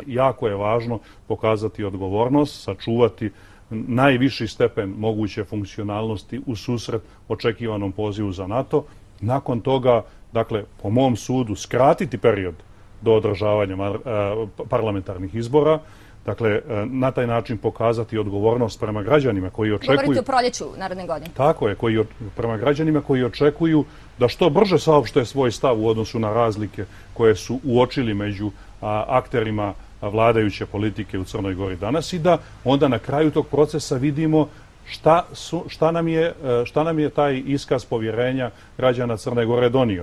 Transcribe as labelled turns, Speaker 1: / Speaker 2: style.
Speaker 1: Jako je važno pokazati odgovornost, sačuvati najviši stepen moguće funkcionalnosti u susret očekivanom pozivu za NATO. Nakon toga, dakle, po mom sudu, skratiti period do održavanja parlamentarnih izbora. Dakle, na taj način pokazati odgovornost prema građanima koji očekuju...
Speaker 2: Govorite o proljeću naredne godine.
Speaker 1: Tako je, prema građanima koji očekuju da što brže saopšte svoj stav u odnosu na razlike koje su uočili među akterima vladajuće politike u Crnoj Gori danas i da onda na kraju tog procesa vidimo šta nam je taj iskaz povjerenja građana Crne Gore donio.